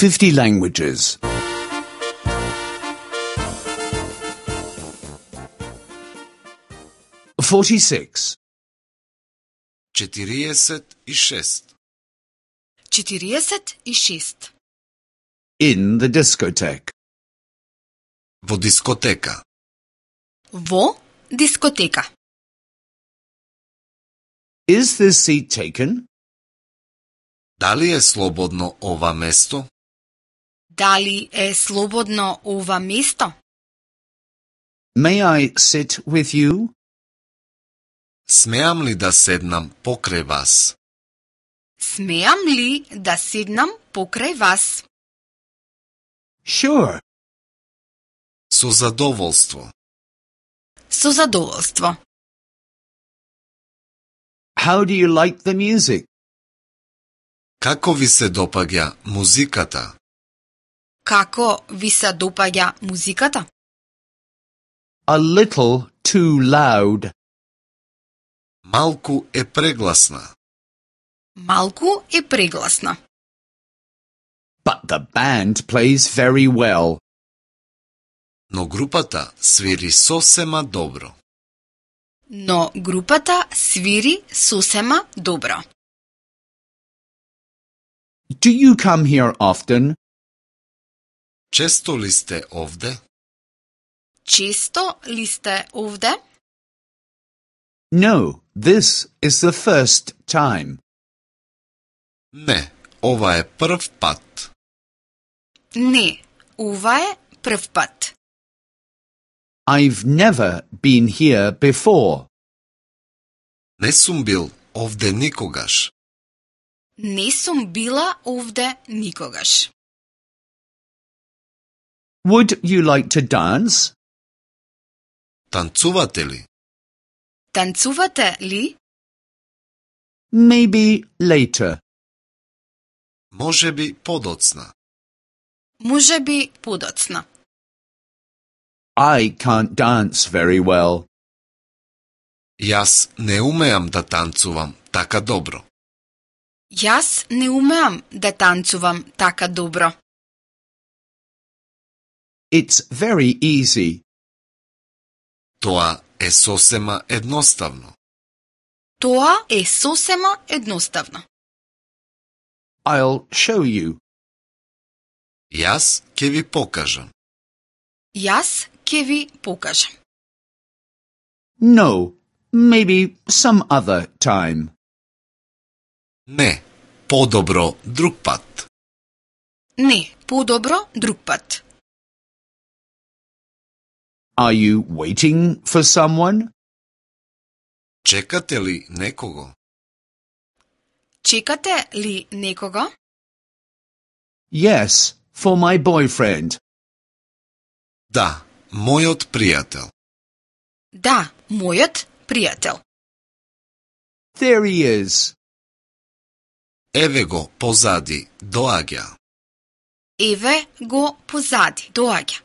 50 languages. 46. 46. 46. In the discotheque. Во дискотека. Во дискотека. Is this seat taken? Дали е слободно ова место? Дали е слободно ова место? May I sit with you? Смеам ли да седнам покрај вас? Смеам ли да седнам покрај вас? Sure. Со задоволство. Со задоволство. How do you like the music? Како ви се допаѓа музиката? Како ви се допаѓа музиката? A little too loud. Малку е прегласна. Малку е прегласна. But the band plays very well. Но групата свири сосема добро. Но групата свири сосема добро. Do you come here often? Често ли сте овде? Често ли сте овде? No, this is the first time. Не, ова е прв пат. Не, ова е прв пат. I've never been here before. Не сум бил овде никогаш. Не сум била овде никогаш. Would you like to dance? Танцувате ли? Танцувате ли? Maybe later. Може би подоцна. Може би подоцна. I can't dance very well. Јас не умеам да танцувам така добро. Јас не умеам да танцувам така добро. It's very easy. Тоа е сосема едноставно. Тоа е сосема едноставно. I'll show you. Јас ќе ви покажам. Јас ќе ви покажам. No, maybe some other time. Не, подобро друг пат. Не, подобро друг пат. Are you waiting for someone? Чекате ли некого? Чекате ли некого? Yes, for my boyfriend. Да, мојот пријател. Да, мојот пријател. There he is. Еве го позади, доаѓа. Еве го позади, доаѓа.